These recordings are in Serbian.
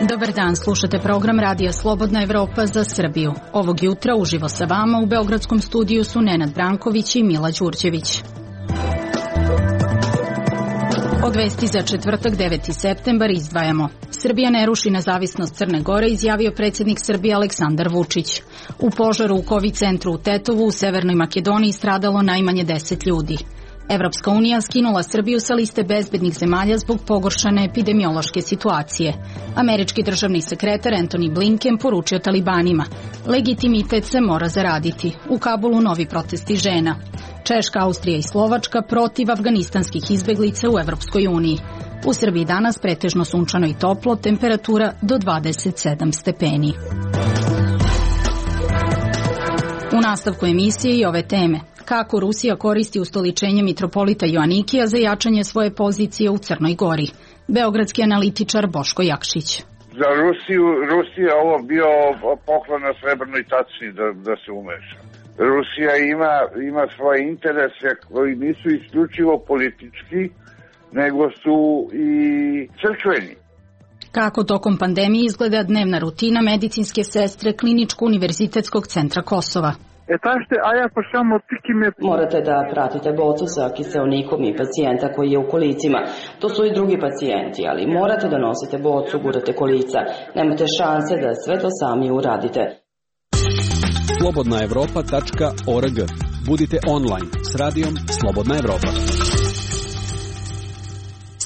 Dobar dan, slušate program Radija Slobodna Evropa za Srbiju. Ovog jutra uživo sa vama u beogradskom studiju su Nenad Branković i Mila Đurđević. Od vesti za četvrtak 9. septembar izdvajamo. Srbija ne ruši nezavisnost Crne Gore, izjavio predsjednik Srbije Aleksandar Vučić. U požaru u COVID centru u Tetovu u Severnoj Makedoniji stradalo najmanje 10 ljudi. Evropska unija skinula Srbiju sa liste bezbednih zemalja zbog pogoršane epidemiološke situacije. Američki državni sekretar Antony Blinken poručio talibanima: legitimitet se mora zaraditi. U Kabulu novi protesti žena. Češka, Austrija i Slovačka protiv afganistanskih izbeglica u Evropskoj uniji. U Srbiji danas pretežno sunčano i toplo, temperatura do 27 stepeni. U nastavku emisije i ove teme. Kako Rusija koristi ustoličenje mitropolita Joanikija za jačanje svoje pozicije u Crnoj Gori. Beogradski analitičar Boško Jakšić. Za Rusija ovo bio poklon na srebrnoj tačni da se umeša. Rusija ima svoje interese koji nisu isključivo politički, nego su i crkveni. Kako tokom pandemije izgleda dnevna rutina medicinske sestre Kliničko-univerzitetskog centra Kosova. Morate da pratite bocu sa kiseonikom i pacijenta koji je u kolicima. To su i drugi pacijenti, ali morate da nosite bocu, gurate kolica. Nemate šanse da sve to sami uradite. Slobodnaevropa.org. Budite online s radijom Slobodna Evropa.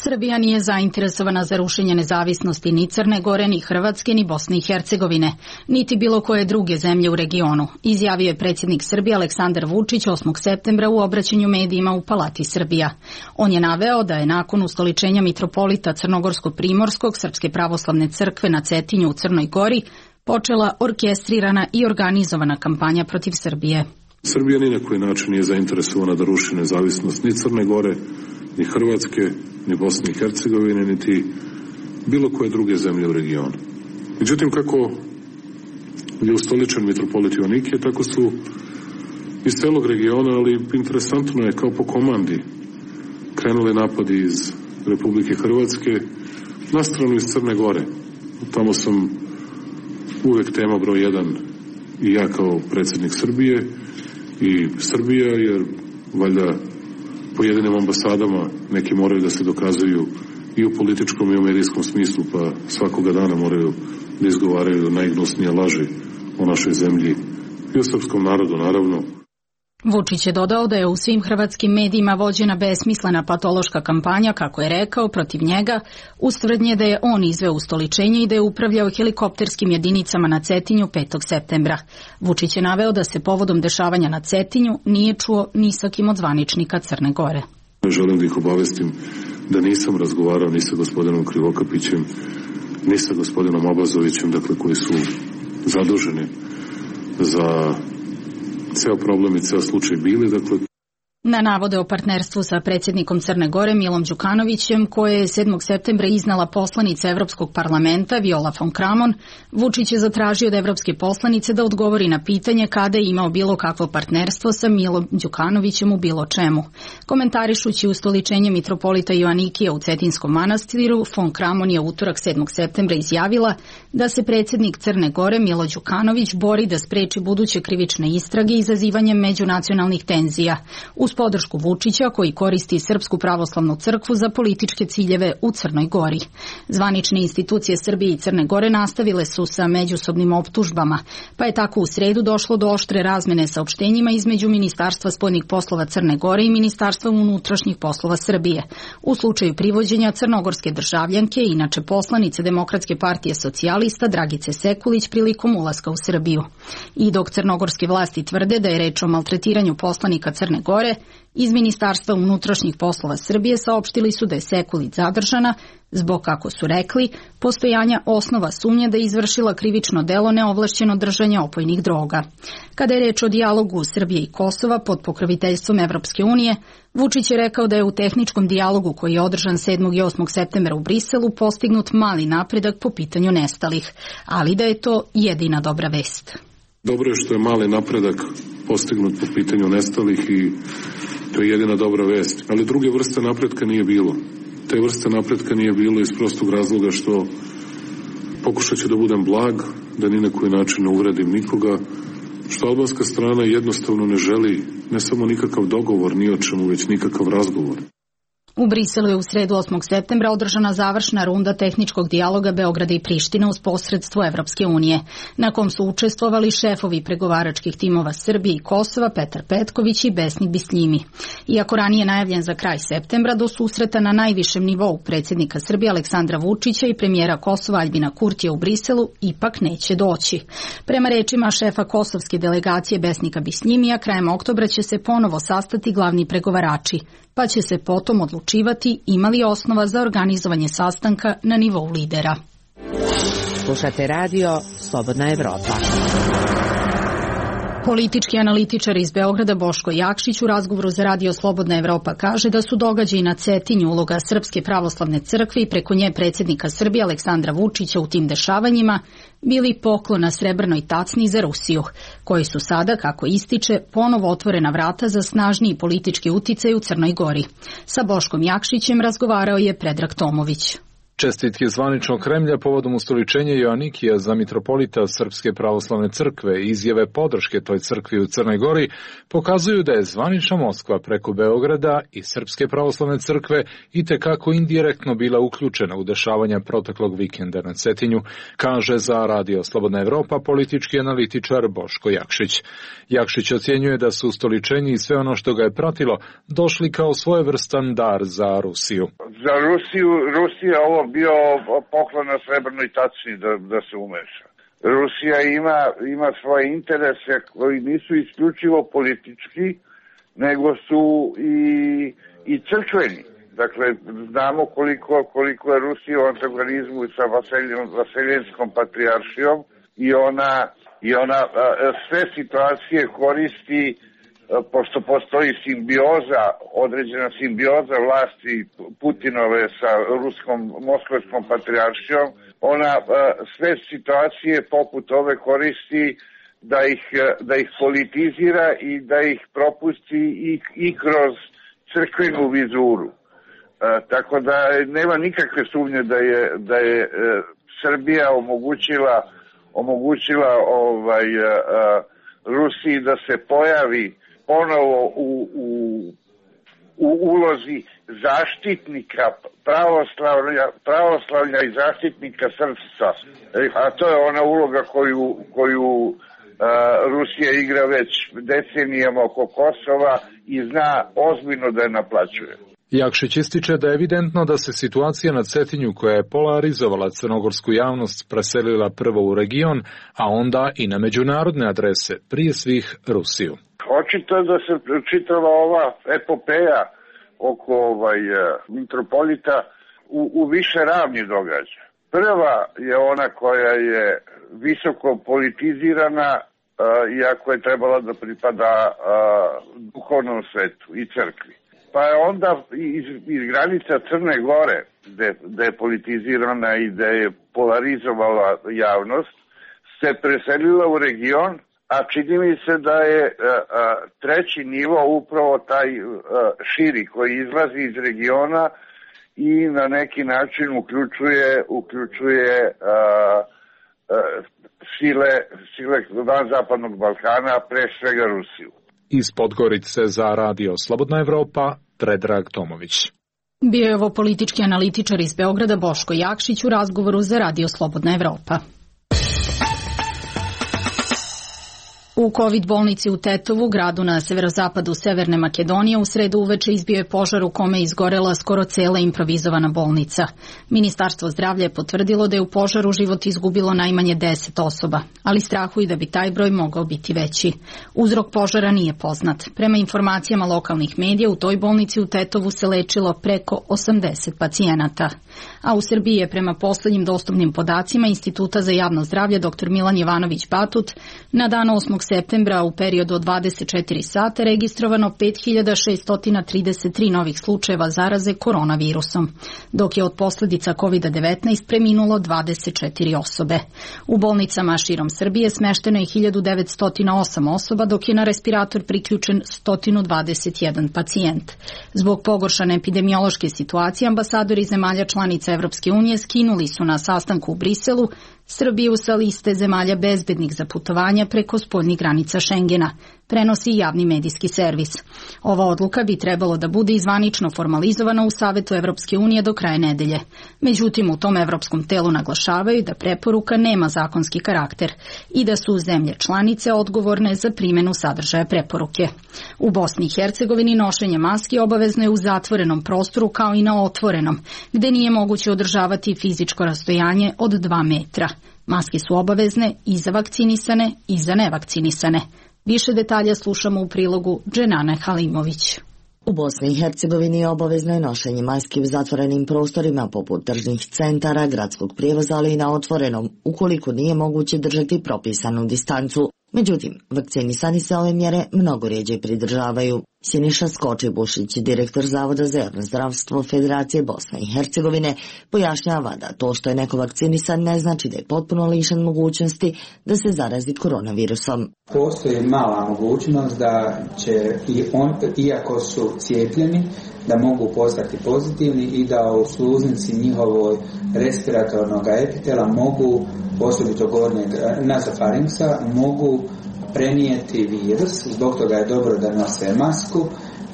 Srbija nije zainteresovana za rušenje nezavisnosti ni Crne Gore, ni Hrvatske, ni Bosne i Hercegovine, niti bilo koje druge zemlje u regionu, izjavio je predsjednik Srbije Aleksandar Vučić 8. septembra u obraćanju medijima u Palati Srbija. On je naveo da je nakon ustoličenja mitropolita Crnogorsko-Primorskog Srpske pravoslavne crkve na Cetinju u Crnoj Gori počela orkestrirana i organizovana kampanja protiv Srbije. Srbija ni na koji način nije zainteresovana da ruši nezavisnost ni Crne Gore, ni Hrvatske, ni Bosne i Hercegovine, niti bilo koje druge zemlje u regionu. Međutim, kako je ustoličen mitropolit Joanikije, tako su iz celog regiona, ali interesantno je kao po komandi krenuli napadi iz Republike Hrvatske na stranu iz Crne Gore. Tamo sam uvek tema broj 1 i ja kao predsjednik Srbije i Srbija, jer valjda pojedinim ambasadama neki moraju da se dokazuju i u političkom i u medijskom smislu, pa svakoga dana moraju da izgovaraju najgnusnije laži o našoj zemlji i o srpskom narodu, naravno. Vučić je dodao da je u svim hrvatskim medijima vođena besmislena patološka kampanja, kako je rekao, protiv njega, uz tvrdnje da je on izveo ustoličenje i da je upravljao helikopterskim jedinicama na Cetinju 5. septembra. Vučić je naveo da se povodom dešavanja na Cetinju nije čuo ni sa kim od zvaničnika Crne Gore. Želim da ih obavestim da nisam razgovarao ni sa gospodinom Krivokapićem, ni sa gospodinom Abazovićem, dakle koji su zaduženi za ceo problem i ceo slučaj bili, dakle. Na navode o partnerstvu sa predsjednikom Crne Gore Milom Đukanovićem, koje je 7. septembra iznala poslanica Evropskog parlamenta Viola von Kramon, Vučić je zatražio od evropske poslanice da odgovori na pitanje kada je imao bilo kakvo partnerstvo sa Milom Đukanovićem u bilo čemu. Komentarišući ustoličenje mitropolita Joanikija u Cetinskom manastiru, von Kramon je utorak 7. septembra izjavila da se predsjednik Crne Gore Milo Đukanović bori da spreči buduće krivične istrage izazivanjem međunacionalnih tenzija, uz podršku Vučića koji koristi Srpsku pravoslavnu crkvu za političke ciljeve u Crnoj Gori. Zvanične institucije Srbije i Crne Gore nastavile su sa međusobnim optužbama, pa je tako u sredu došlo do oštre razmene saopštenjima između Ministarstva spoljnih poslova Crne Gore i Ministarstva unutrašnjih poslova Srbije. U slučaju privođenja crnogorske državljanke, inače poslanice Demokratske partije socijalista Dragice Sekulić prilikom ulaska u Srbiju. I dok crnogorske vlasti tvrde da je reč o maltretiranju poslanika Crne Gore, iz Ministarstva unutrašnjih poslova Srbije saopštili su da je Sekulić zadržana zbog, kako su rekli, postojanja osnova sumnje da je izvršila krivično delo neovlašćeno držanje opojnih droga. Kada je reč o dijalogu Srbije i Kosova pod pokroviteljstvom Evropske unije, Vučić je rekao da je u tehničkom dijalogu koji je održan 7. i 8. septembra u Briselu postignut mali napredak po pitanju nestalih, ali da je to jedina dobra vest. Dobro je što je mali napredak postignut po pitanju nestalih i to je jedina dobra vest. Ali druge vrste napretka nije bilo. Te vrste napretka nije bilo iz prostog razloga što Pokušat ću da budem blag, da ni na koji način ne uvredim nikoga, što albanska strana jednostavno ne želi ne samo nikakav dogovor, ni o čemu, već nikakav razgovor. U Briselu je u sredu 8. septembra održana završna runda tehničkog dijaloga Beograda i Prištine uz posredstvo Evropske unije, na kom su učestvovali šefovi pregovaračkih timova Srbije i Kosova Petar Petković i Besnik Bisljimi. Iako ranije najavljen za kraj septembra, do susreta na najvišem nivou predsjednika Srbije Aleksandra Vučića i premijera Kosova Aljbina Kurtija u Briselu ipak neće doći. Prema rečima šefa kosovske delegacije Besnika Bisljimija, krajem oktobra će se ponovo sastati glavni pregovarači, pa će se potom odlučivati ima li osnova za organizovanje sastanka na nivou lidera. Slušate radio Slobodna Evropa. Politički analitičar iz Beograda Boško Jakšić u razgovoru za radio Slobodna Evropa kaže da su događaji na Cetinju uloga Srpske pravoslavne crkve i preko nje predsjednika Srbije Aleksandra Vučića u tim dešavanjima bili poklon na srebrnoj tacni za Rusiju, koji su sada, kako ističe, ponovo otvorena vrata za snažniji politički uticaj u Crnoj Gori. Sa Boškom Jakšićem razgovarao je Predrag Tomović. Čestitke zvaničnog Kremlja povodom ustoličenja Joanikija za mitropolita Srpske pravoslavne crkve i izjave podrške toj crkvi u Crnoj Gori pokazuju da je zvanična Moskva preko Beograda i Srpske pravoslavne crkve itekako indirektno bila uključena u dešavanja proteklog vikenda na Cetinju, kaže za radio Slobodna Evropa politički analitičar Boško Jakšić. Jakšić ocjenjuje da su ustoličenje i sve ono što ga je pratilo došli kao svojevrstan dar za Rusiju. Za Rusija ovo bio poklon na srebrnoj tacni da se umeša. Rusija ima svoje interese koji nisu isključivo politički, nego su i crkveni. Dakle, znamo koliko je Rusija u antagonizmu sa Vaseljenskom patrijaršijom i ona sve situacije koristi, pošto postoji simbioza, određena simbioza vlasti Putinove sa moskovskom patrijaršijom, ona sve situacije poput ove koristi da ih politizira i da ih propusti i kroz crkvenu vizuru. Tako da nema nikakve sumnje da je Srbija omogućila Rusiji da se pojavi ponovo u ulozi zaštitnika pravoslavlja i zaštitnika srpstva. A to je ona uloga koju Rusija igra već decenijama oko Kosova i zna ozbiljno da je naplaćuje. Jakšić ističe da je evidentno da se situacija na Cetinju koja je polarizovala crnogorsku javnost preselila prvo u region, a onda i na međunarodne adrese, prije svih Rusiju. Očito je da se čitava ova epopeja oko mitropolita u više ravni događa. Prva je ona koja je visoko politizirana, iako je trebala da pripada duhovnom svetu i crkvi. Pa je onda iz granica Crne Gore, gde je politizirana i gde je polarizovala javnost, se preselila u region, a čini mi se da je treći nivo upravo taj širi koji izlazi iz regiona i na neki način uključuje sile van Zapadnog Balkana, pre svega Rusiju. Iz Podgorice za radio Slobodna Evropa, Predrag Tomović. Bio je ovo politički analitičar iz Beograda Boško Jakšić u razgovoru za radio Slobodna Evropa. U COVID bolnici u Tetovu, gradu na severozapadu Severne Makedonije, u sredu uveče izbio je požar u kome je izgorela skoro cela improvizovana bolnica. Ministarstvo zdravlja je potvrdilo da je u požaru život izgubilo najmanje 10 osoba, ali strahuju da bi taj broj mogao biti veći. Uzrok požara nije poznat. Prema informacijama lokalnih medija, u toj bolnici u Tetovu se lečilo preko 80 pacijenata. A u Srbiji je prema poslednjim dostupnim podacima Instituta za javno zdravlje dr. Milan Jovanović Batut na dan 8. septembra u periodu od 24 sata registrovano 5633 novih slučajeva zaraze koronavirusom, dok je od posljedica COVID-19 preminulo 24 osobe. U bolnicama širom Srbije smešteno je 1908 osoba, dok je na respirator priključen 121 pacijent. Zbog pogoršane epidemiološke situacije, ambasadori zemalja članica Evropske unije skinuli su na sastanku u Briselu Srbiju sa liste zemalja bezbednih za putovanja preko spoljnih granica Šengena, prenosi javni medijski servis. Ova odluka bi trebalo da bude zvanično formalizovana u Savetu Evropske unije do kraja nedelje. Međutim, u tom evropskom telu naglašavaju da preporuka nema zakonski karakter i da su zemlje članice odgovorne za primjenu sadržaja preporuke. U Bosni i Hercegovini nošenje maski obavezno je u zatvorenom prostoru kao i na otvorenom, gde nije moguće održavati fizičko rastojanje od 2 metra. Maske su obavezne i za vakcinisane i za nevakcinisane. Više detalja slušamo u prilogu Dženane Halimović. U Bosni i Hercegovini obavezno je nošenje maski u zatvorenim prostorima poput tržnih centara, gradskog prijevoza, ali i na otvorenom, ukoliko nije moguće držati propisanu distancu. Međutim, vakcinisani se ove mjere mnogo rjeđe pridržavaju. Siniša Skočibušić, direktor Zavoda za javno zdravstvo Federacije Bosne i Hercegovine, pojašnjava da to što je neko vakcinisan ne znači da je potpuno lišen mogućnosti da se zarazi koronavirusom. Postoji mala mogućnost da će i on, iako su cijepljeni, da mogu postati pozitivni i da u sluznici njihovoj respiratornog epitela mogu, osobito gornjeg nazofarinksa, mogu prenijeti virus. Zbog toga je dobro da nose masku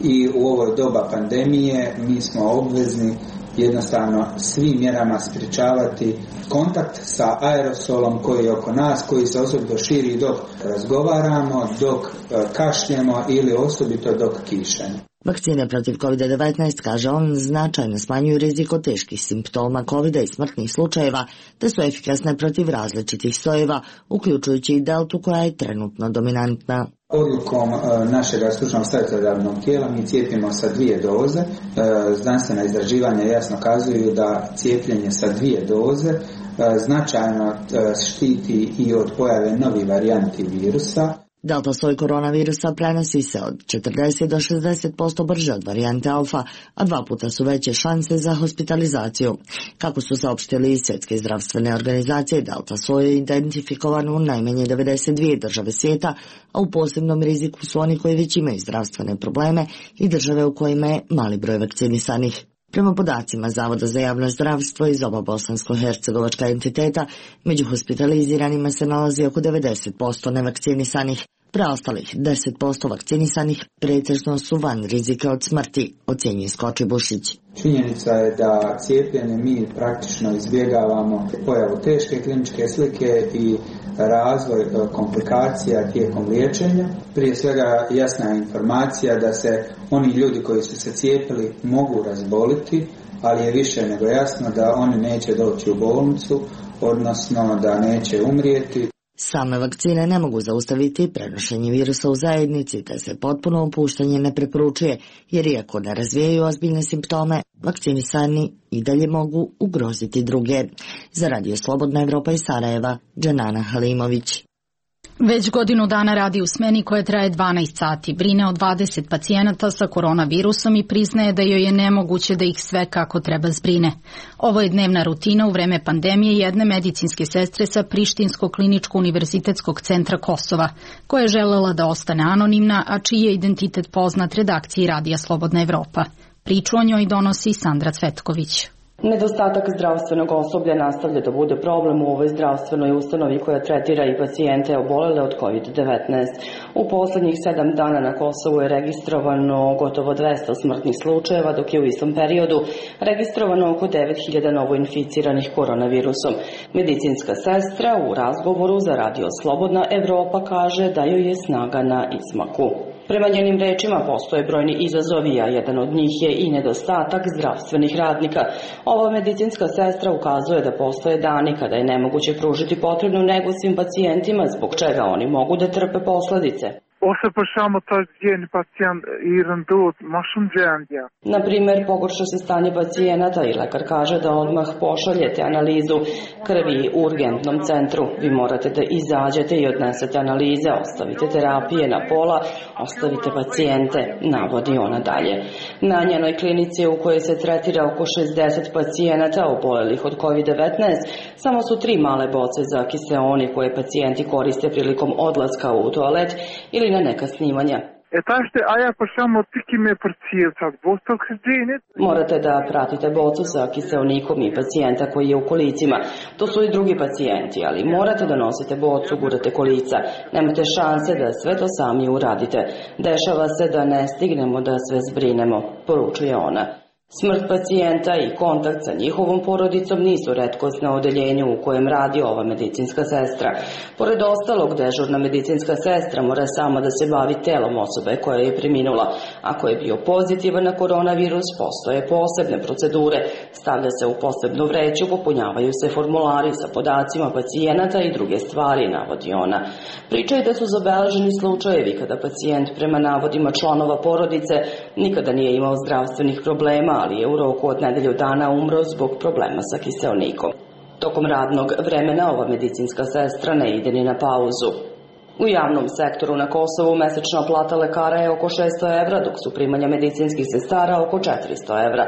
i u ovoj doba pandemije mi smo obvezni jednostavno svim mjerama sprječavati kontakt sa aerosolom koji je oko nas, koji se osobito širi dok razgovaramo, dok kašljemo ili osobito dok kišemo. Vakcine protiv COVID-19, kaže on, značajno smanjuju rizik od teških simptoma COVID-a i smrtnih slučajeva, te su efikasne protiv različitih sojeva, uključujući i deltu koja je trenutno dominantna. Odlukom našeg stručnog savjetodavnog tijela mi cijepimo sa 2 doze. Znanstvena istraživanja jasno kazuju da cijepljenje sa 2 doze značajno štiti i od pojave novih varijanti virusa. Delta soj koronavirusa prenosi se od 40 do 60% brže od varijante alfa, a 2 puta su veće šanse za hospitalizaciju. Kako su saopštili iz Svjetske zdravstvene organizacije, delta soj je identifikovan u najmanje 92 države svijeta, a u posebnom riziku su oni koji već imaju zdravstvene probleme i države u kojima je mali broj vakcinisanih. Prema podacima Zavoda za javno zdravstvo iz oba bosansko-hercegovačka entiteta, među hospitaliziranima se nalazi oko 90% nevakcinisanih. Preostalih 10% vakcinisanih pretežno su van rizika od smrti, ocjenjuje Skočibušić. Činjenica je da cijepljenje mi praktično izbjegavamo pojavu teške kliničke slike i razvoj komplikacija tijekom liječenja. Prije svega jasna je informacija da se oni ljudi koji su se cijepili mogu razboliti, ali je više nego jasno da oni neće doći u bolnicu, odnosno da neće umrijeti. Same vakcine ne mogu zaustaviti prenošenje virusa u zajednici, te se potpuno opuštanje ne preporučuje, jer iako ne razvijaju ozbiljne simptome, vakcinisani i dalje mogu ugroziti druge. Za Radio Slobodna Evropa iz Sarajeva, Dženana Halimović. Već godinu dana radi u smeni koja traje 12 sati, brine o 20 pacijenata sa koronavirusom i priznaje da joj je nemoguće da ih sve kako treba zbrine. Ovo je dnevna rutina u vreme pandemije jedne medicinske sestre sa Prištinskog kliničko-univerzitetskog centra Kosova, koja je želela da ostane anonimna, a čiji je identitet poznat redakciji Radija Slobodna Evropa. Priču o njoj donosi Sandra Cvetković. Nedostatak zdravstvenog osoblja nastavlja da bude problem u ovoj zdravstvenoj ustanovi koja tretira i pacijente obolele od COVID-19. U poslednjih 7 dana na Kosovu je registrovano gotovo 200 smrtnih slučajeva, dok je u istom periodu registrovano oko 9000 novoinficiranih koronavirusom. Medicinska sestra u razgovoru za Radio Slobodna Evropa kaže da joj je snaga na izmaku. Prema njenim rečima postoje brojni izazovi, a jedan od njih je i nedostatak zdravstvenih radnika. Ova medicinska sestra ukazuje da postoje dani kada je nemoguće pružiti potrebnu negu svim pacijentima, zbog čega oni mogu da trpe posledice. Och så på samma sätt ger en patient i den död mašunđendja. Na primjer, pogorša se stanje pacijenata i lekar kaže da odmah pošaljete analizu krvi u urgentnom centru. Vi morate da izađete i odnesete analize, ostavite terapije na pola, ostavite pacijente, navodi ona dalje. Na njenoj klinici u kojoj se tretira oko 60 pacijenata obolelih od COVID-19, samo su 3 male boce za kiseoni koje pacijenti koriste prilikom odlaska u toalet ili na neka snimanja. Morate da pratite bocu sa kiseonikom i pacijenta koji je u kolicima. To su i drugi pacijenti, ali morate da nosite bocu, gurate kolica. Nemate šanse da sve to sami uradite. Dešava se da ne stignemo da sve zbrinemo, poručuje ona. Smrt pacijenta i kontakt sa njihovom porodicom nisu retkost na odeljenju u kojem radi ova medicinska sestra. Pored ostalog, dežurna medicinska sestra mora sama da se bavi telom osobe koja je preminula. Ako je bio pozitivan na koronavirus, postoje posebne procedure. Stavlja se u posebnu vreću, popunjavaju se formulari sa podacima pacijenata i druge stvari, navodi ona. Pričaju da su zabeleženi slučajevi kada pacijent prema navodima članova porodice nikada nije imao zdravstvenih problema, ali je u roku od nedelju dana umro zbog problema sa kiseonikom. Tokom radnog vremena ova medicinska sestra ne ide ni na pauzu. U javnom sektoru na Kosovu mesečna plata lekara je oko 600 evra, dok su primanja medicinskih sestara oko 400 evra.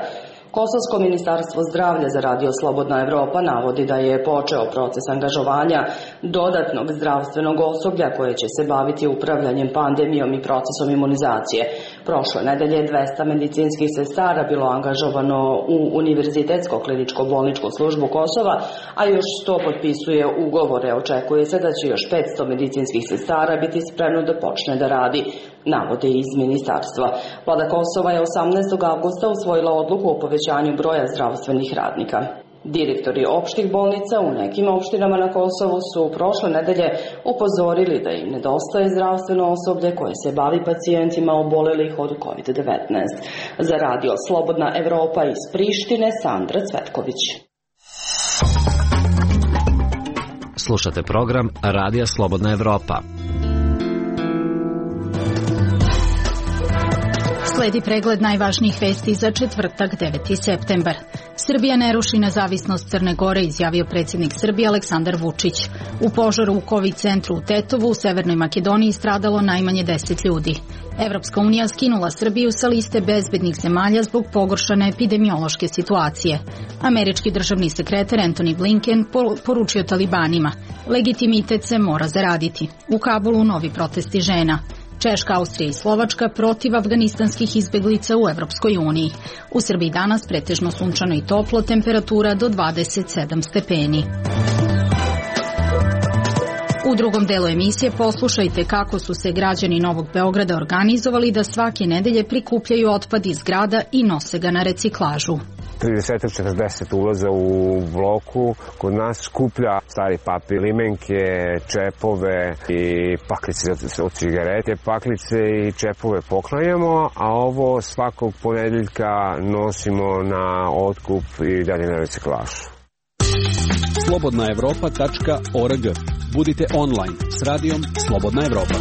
Kosovsko ministarstvo zdravlja za Radio Slobodna Evropa navodi da je počeo proces angažovanja dodatnog zdravstvenog osoblja koje će se baviti upravljanjem pandemijom i procesom imunizacije. Prošle nedelje 200 medicinskih sestara bilo angažovano u Univerzitetsko-kliničko-bolničku službu Kosova, a još 100 potpisuje ugovore. Očekuje se da će još 500 medicinskih sestara biti spremno da počne da radi, navode iz ministarstva. Vlada Kosova je 18. avgusta usvojila odluku o povećanju broja zdravstvenih radnika. Direktori opštih bolnica u nekim opštinama na Kosovu su prošle nedelje upozorili da im nedostaje zdravstveno osoblje koje se bavi pacijentima obolelih od COVID-19. Za Radio Slobodna Evropa iz Prištine, Sandra Cvetković. Slušate program Radija Slobodna Evropa. Sledi pregled najvažnijih vesti za četvrtak 9. septembar. Srbija ne ruši nezavisnost Crne Gore, izjavio predsjednik Srbije Aleksandar Vučić. U požaru u COVID centru u Tetovu u Severnoj Makedoniji stradalo najmanje 10 ljudi. Evropska unija skinula Srbiju sa liste bezbednih zemalja zbog pogoršane epidemiološke situacije. Američki državni sekretar Antony Blinken poručio talibanima: legitimitet se mora zaraditi. U Kabulu novi protesti žena. Češka, Austrija i Slovačka protiv afganistanskih izbeglica u Evropskoj uniji. U Srbiji danas pretežno sunčano i toplo, temperatura do 27 stepeni. U drugom delu emisije poslušajte kako su se građani Novog Beograda organizovali da svake nedelje prikupljaju otpad iz grada i nose ga na reciklažu. 30-40 ulaza u bloku, kod nas skuplja stari papir, limenke, čepove i paklice od cigarete. Paklice i čepove poklanjamo, a ovo svakog ponedeljka nosimo na otkup i dalje na reciklažu. slobodnaevropa.org. Budite online s radijom Slobodna Evropa.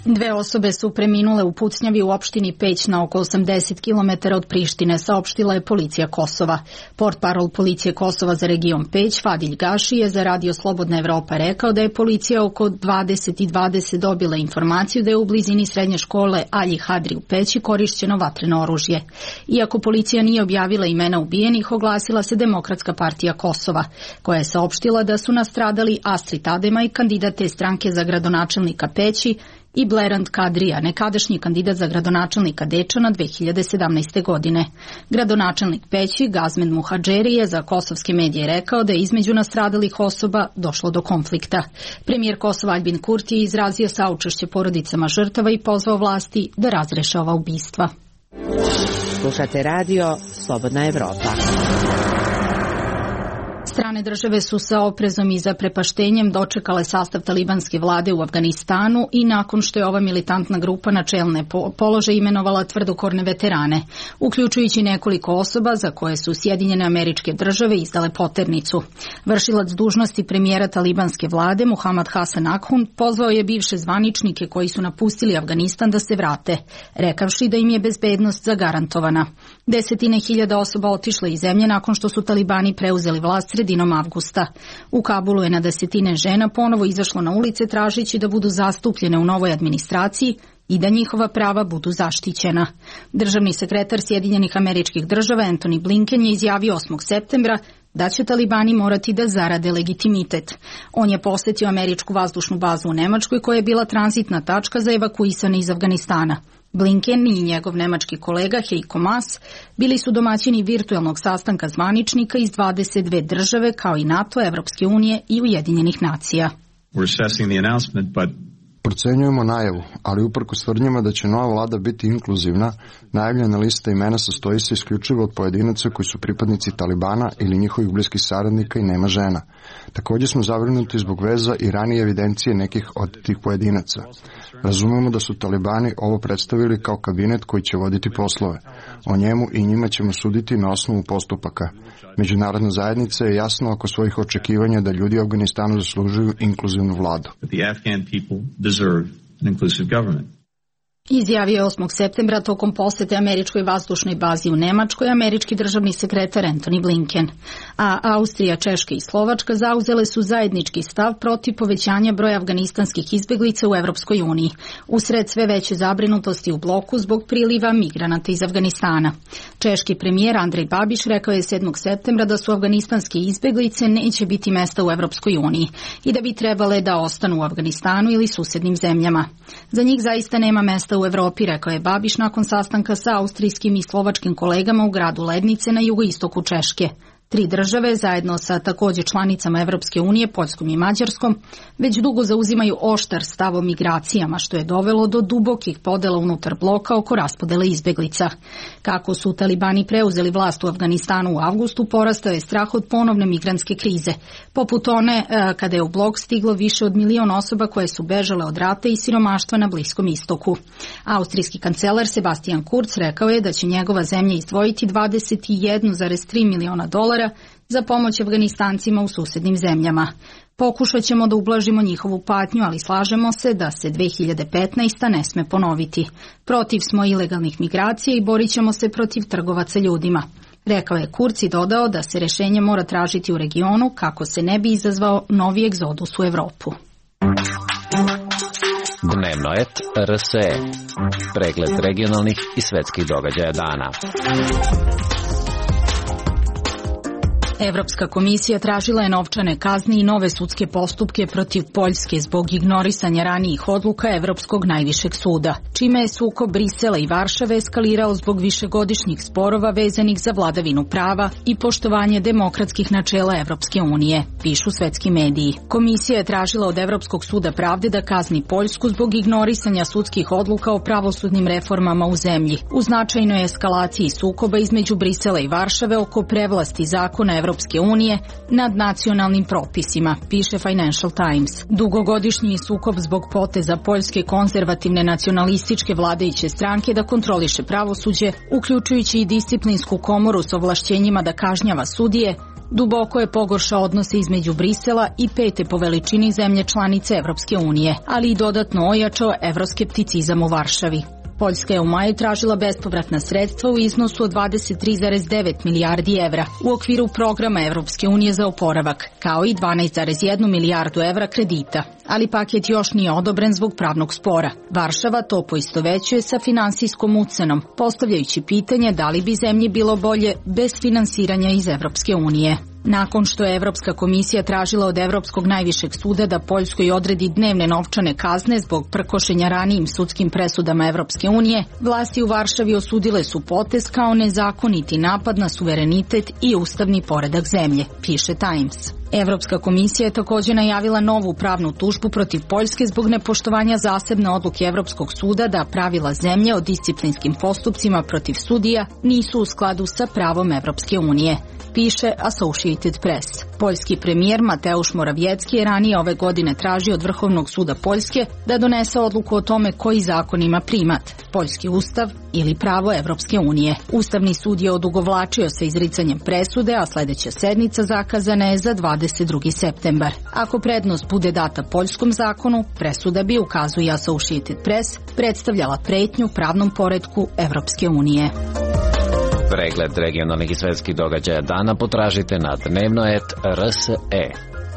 2 osobe su preminule u pucnjavi u opštini Peć na oko 80 km od Prištine, saopštila je policija Kosova. Portparol policije Kosova za region Peć, Fadilj Gaši, je za Radio Slobodna Evropa rekao da je policija oko 20:20 dobila informaciju da je u blizini srednje škole Alji Hadri u Peći korišćeno vatreno oružje. Iako policija nije objavila imena ubijenih, oglasila se Demokratska partija Kosova, koja je saopštila da su nastradali Astrid Adema i kandidat te stranke za gradonačelnika Peći, i Blerand Kadrija, nekadašnji kandidat za gradonačelnika Dečana 2017. godine. Gradonačelnik Peći, Gazmed Muhadžeri, je za kosovske medije rekao da je između nastradalih osoba došlo do konflikta. Premijer Kosova Aljbin Kurti je izrazio saučešće porodicama žrtava i pozvao vlasti da razreše ova ubistva. Slušate radio Slobodna Evropa. Strane države su sa oprezom i zaprepaštenjem dočekale sastav talibanske vlade u Afganistanu i nakon što je ova militantna grupa na čelne položaje imenovala tvrdokorne veterane, uključujući nekoliko osoba za koje su Sjedinjene Američke Države izdale poternicu. Vršilac dužnosti premijera talibanske vlade Muhammad Hasan Akhund pozvao je bivše zvaničnike koji su napustili Afganistan da se vrate, rekavši da im je bezbednost zagarantovana. Desetine hiljada osoba otišle iz zemlje nakon što su talibani preuzeli vlast sredinom avgusta. U Kabulu je na desetine žena ponovo izašlo na ulice tražeći da budu zastupljene u novoj administraciji i da njihova prava budu zaštićena. Državni sekretar Sjedinjenih Američkih Država Antony Blinken je izjavio 8. septembra da će talibani morati da zarade legitimitet. On je posetio američku vazdušnu bazu u Nemačkoj koja je bila tranzitna tačka za evakuisane iz Afganistana. Blinken i njegov nemački kolega Heiko Maas bili su domaćini virtualnog sastanka zvaničnika iz 22 države kao i NATO, Evropske unije i Ujedinjenih nacija. Procenjujemo najavu, ali uprkos tvrdnjama da će nova vlada biti inkluzivna, najavljena lista imena sastoji se isključivo od pojedinaca koji su pripadnici Talibana ili njihovih bliskih saradnika i nema žena. Također smo zabrinuti zbog veza i ranije evidencije nekih od tih pojedinaca. Razumemo da su Talibani ovo predstavili kao kabinet koji će voditi poslove. O njemu i njima ćemo suditi na osnovu postupaka. Međunarodna zajednica je jasno oko svojih očekivanja da ljudi u Afganistanu zaslužuju inkluzivnu vladu. Izjavio je 8. septembra tokom posete američkoj vazdušnoj bazi u Nemačkoj američki državni sekretar Antony Blinken. A Austrija, Češka i Slovačka zauzele su zajednički stav protiv povećanja broja afganistanskih izbeglica u Evropskoj uniji, usred sve veće zabrinutosti u bloku zbog priliva migranata iz Afganistana. Češki premijer Andrej Babiš rekao je 7. septembra da su afganistanske izbeglice neće biti mesta u Evropskoj uniji i da bi trebale da ostanu u Afganistanu ili susednim zemljama. Za njih zaista nema mesta u Evropi, rekao je Babiš nakon sastanka sa austrijskim i slovačkim kolegama u gradu Lednice na jugoistoku Češke. 3 države, zajedno sa također članicama Evropske unije, Poljskom i Mađarskom, već dugo zauzimaju oštar stav o migracijama, što je dovelo do dubokih podela unutar bloka oko raspodele izbeglica. Kako su talibani preuzeli vlast u Afganistanu u avgustu, porastao je strah od ponovne migrantske krize, poput one kada je u blok stiglo više od 1 milion osoba koje su bežale od rata i siromaštva na Bliskom istoku. Austrijski kancelar Sebastian Kurz rekao je da će njegova zemlja izdvojiti 21,3 miliona dolara za pomoć Afganistancima u susednim zemljama. Pokušat ćemo da ublažimo njihovu patnju, ali slažemo se da se 2015. ne sme ponoviti. Protiv smo ilegalnih migracija i borit ćemo se protiv trgovaca ljudima. Rekao je Kurz i dodao da se rešenje mora tražiti u regionu kako se ne bi izazvao novi egzodus u Evropu. Dnevno et RSE. Pregled regionalnih i svetskih događaja dana. Evropska komisija tražila je novčane kazne i nove sudske postupke protiv Poljske zbog ignorisanja ranijih odluka Evropskog najvišeg suda, čime je sukob Brisela i Varšave eskalirao zbog višegodišnjih sporova vezanih za vladavinu prava i poštovanje demokratskih načela Evropske unije, pišu svetski mediji. Komisija je tražila od Evropskog suda pravde da kazni Poljsku zbog ignorisanja sudskih odluka o pravosudnim reformama u zemlji, u značajnoj eskalaciji sukoba između Brisela i Varšave oko prevlasti zakona Evropske unije nad nacionalnim propisima, piše Financial Times. Dugogodišnji sukob zbog poteza Poljske konzervativne nacionalističke vladajuće stranke da kontroliše pravosuđe, uključujući i disciplinsku komoru s ovlašćenjima da kažnjava sudije, duboko je pogoršao odnose između Brisela i 5. po veličini zemlje članice Evropske unije, ali i dodatno ojačao evroskepticizam u Varšavi. Poljska je u maju tražila bespovratna sredstva u iznosu od 23,9 milijardi evra u okviru programa Evropske unije za oporavak, kao i 12,1 milijardu evra kredita. Ali paket još nije odobren zbog pravnog spora. Varšava to poistovećuje sa finansijskom ucenom, postavljajući pitanje da li bi zemlji bilo bolje bez finansiranja iz Evropske unije. Nakon što je Evropska komisija tražila od Evropskog najvišeg suda da Poljskoj odredi dnevne novčane kazne zbog prkošenja ranijim sudskim presudama Evropske unije, vlasti u Varšavi osudile su potez kao nezakoniti napad na suverenitet i ustavni poredak zemlje, piše Times. Evropska komisija je također najavila novu pravnu tužbu protiv Poljske zbog nepoštovanja zasebne odluke Evropskog suda da pravila zemlje o disciplinskim postupcima protiv sudija nisu u skladu sa pravom Evropske unije, piše Associated Press. Poljski premijer Mateusz Morawiecki je ranije ove godine tražio od Vrhovnog suda Poljske da donese odluku o tome koji zakon ima primat, poljski ustav ili pravo Evropske unije. Ustavni sud je odugovlačio sa izricanjem presude, a sledeća sednica zakazana je za 22. septembar. Ako prednost bude data poljskom zakonu, presuda bi, ukazuje Associated Press, predstavljala pretnju pravnom poretku Evropske unije. Pregled regionalnih i svetskih događaja dana potražite na dnevno.rs.e.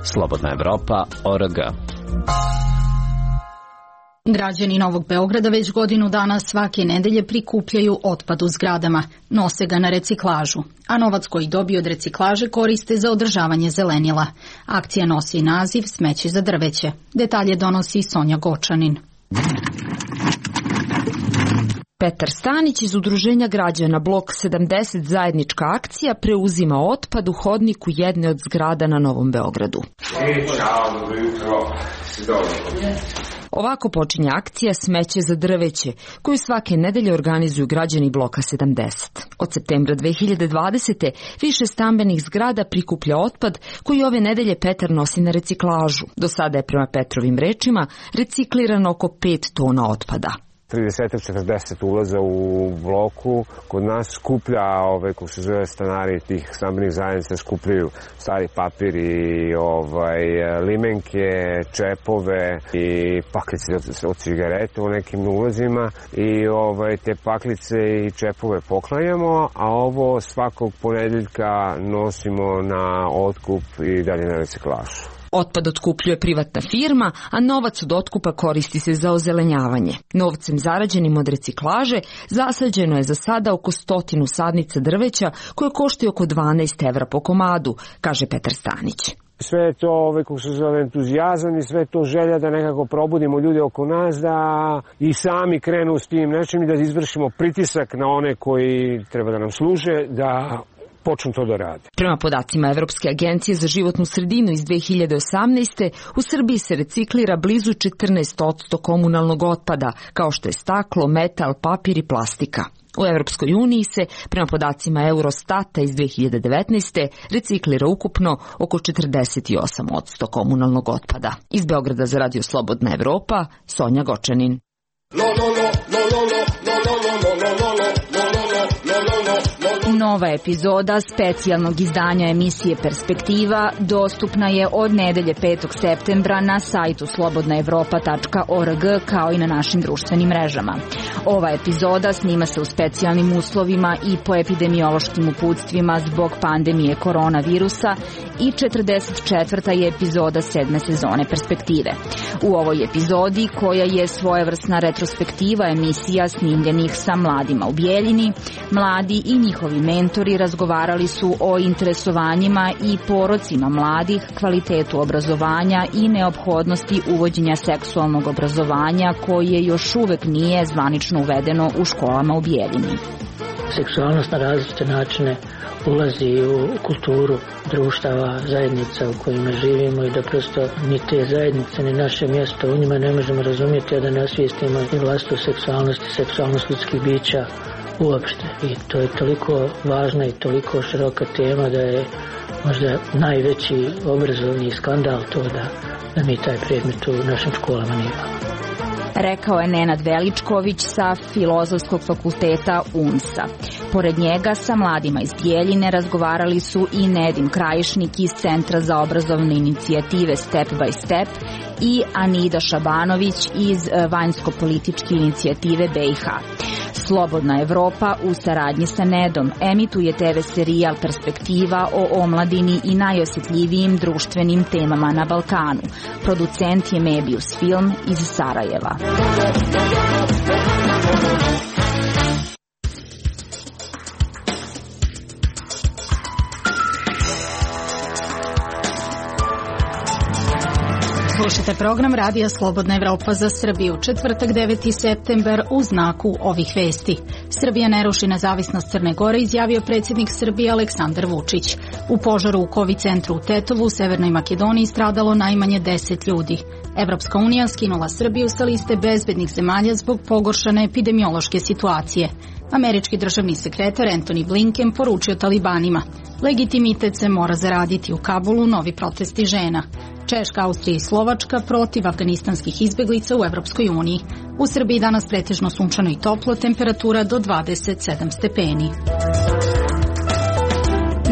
Slobodna Evropa.org. Građani Novog Beograda već godinu dana svake nedelje prikupljaju otpad u zgradama, nose ga na reciklažu, a novac koji dobiju od reciklaže koriste za održavanje zelenila. Akcija nosi naziv Smeće za drveće. Detalje donosi Sonja Gočanin. Petar Stanić iz Udruženja građana Blok 70 zajednička akcija preuzima otpad u hodniku jedne od zgrada na Novom Beogradu. Čao, dobro jutro. Ovako počinje akcija Smeće za drveće, koju svake nedelje organizuju građani Bloka 70. Od septembra 2020. više stambenih zgrada prikuplja otpad koji ove nedelje Petar nosi na reciklažu. Do sada je prema Petrovim rečima reciklirano oko 5 tona otpada. 30-40 ulaza u bloku. Kod nas skuplja, kako se zove, stanari tih stambenih zajednica skupljaju stari papir i limenke, čepove i paklice od cigareta u nekim ulazima i te paklice i čepove poklanjamo, a ovo svakog ponedeljka nosimo na otkup i dalje na reciklažu. Otpad otkupljuje privatna firma, a novac od otkupa koristi se za ozelenjavanje. Novcem zarađenim od reciklaže zasađeno je za sada oko 100 sadnica drveća koje koštaju oko 12 evra po komadu, kaže Petar Stanić. Sve je to, kako se zove, entuzijazam i sve to želja da nekako probudimo ljude oko nas, da i sami krenu s tim nečim i da izvršimo pritisak na one koji treba da nam služe, da počnu to da rade. Prema podacima Evropske agencije za životnu sredinu iz 2018. u Srbiji se reciklira blizu 14% komunalnog otpada, kao što je staklo, metal, papir i plastika. U Evropskoj uniji se, prema podacima Eurostata iz 2019. reciklira ukupno oko 48% komunalnog otpada. Iz Beograda za Radio Slobodna Evropa, Sonja Gočanin. Nova epizoda specijalnog izdanja emisije Perspektiva dostupna je od nedelje 5. septembra na sajtu slobodnaevropa.org kao i na našim društvenim mrežama. Ova epizoda snima se u specijalnim uslovima i po epidemiološkim uputstvima zbog pandemije koronavirusa i 44. je epizoda 7. sezone Perspektive. U ovoj epizodi, koja je svojevrsna retrospektiva emisija snimljenih sa mladima u Bijeljini, mladi i njihovi mentori razgovarali su o interesovanjima i porocima mladih, kvalitetu obrazovanja i neophodnosti uvođenja seksualnog obrazovanja koje još uvek nije zvanično uvedeno u školama u Bijeljini. Seksualnost na različite načine ulazi u kulturu društava, zajednica u kojima živimo i da prosto ni te zajednice, ni naše mjesto u njima ne možemo razumjeti, a da ne osvijestimo i vlastitu seksualnost i seksualnost ljudskih bića uopšte. I to je toliko važna i toliko široka tema da je možda najveći obrazovni skandal to da mi taj predmet u našim školama nemamo. Rekao je Nenad Veličković sa Filozofskog fakulteta UNS-a. Pored njega sa mladima iz Bijeljine razgovarali su i Nedim Krajišnik iz Centra za obrazovne inicijative Step by Step i Anida Šabanović iz Vanjsko-političke inicijative BiH. Slobodna Evropa u saradnji sa Nedom emituje TV serijal Perspektiva o omladini i najosjetljivijim društvenim temama na Balkanu. Producent je Mebius Film iz Sarajeva. Slušajte program Radija Slobodna Evropa za Srbiju, četvrtak 9. september u znaku ovih vesti. Srbija ne ruši nezavisnost Crne Gore, izjavio predsjednik Srbije Aleksandar Vučić. U požaru u COVID centru u Tetovu u Severnoj Makedoniji stradalo najmanje 10 ljudi. Evropska unija skinula Srbiju sa liste bezbednih zemalja zbog pogoršane epidemiološke situacije. Američki državni sekretar Antony Blinken poručio talibanima: legitimitet se mora zaraditi. U Kabulu novi protesti žena. Češka, Austrija i Slovačka protiv afganistanskih izbeglica u Evropskoj uniji. U Srbiji danas pretežno sunčano i toplo, temperatura do 27 stepeni.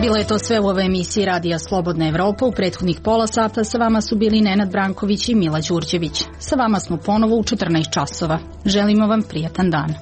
Bilo je to sve u ovoj emisiji Radija Slobodna Evropa. U prethodnih pola sata sa vama su bili Nenad Branković i Mila Đurđević. Sa vama smo ponovo u 14 časova. Želimo vam prijatan dan.